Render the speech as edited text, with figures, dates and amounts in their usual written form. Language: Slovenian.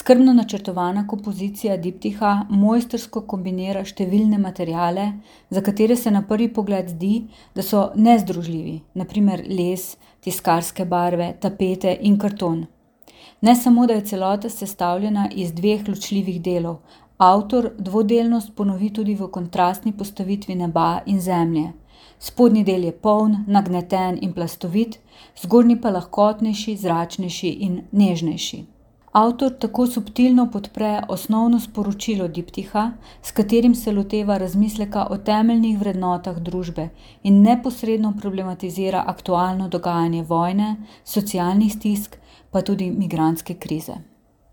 Skrbno načrtovana kompozicija diptiha mojstrsko kombinira številne materiale, za katere se na prvi pogled zdi, da so nezdružljivi, na primer les, tiskarske barve, tapete in karton. Ne samo, da je celota sestavljena iz dveh ločljivih delov, avtor dvodelnost ponovi tudi v kontrastni postavitvi neba in zemlje. Spodnji del je poln, nagneten in plastovit, zgornji pa lahkotnejši, zračnejši in nežnejši. Avtor tako subtilno podpre osnovno sporočilo diptiha, s katerim se loteva razmisleka o temeljnih vrednotah družbe in neposredno problematizira aktualno dogajanje vojne, socialnih stisk, pa tudi migrantske krize.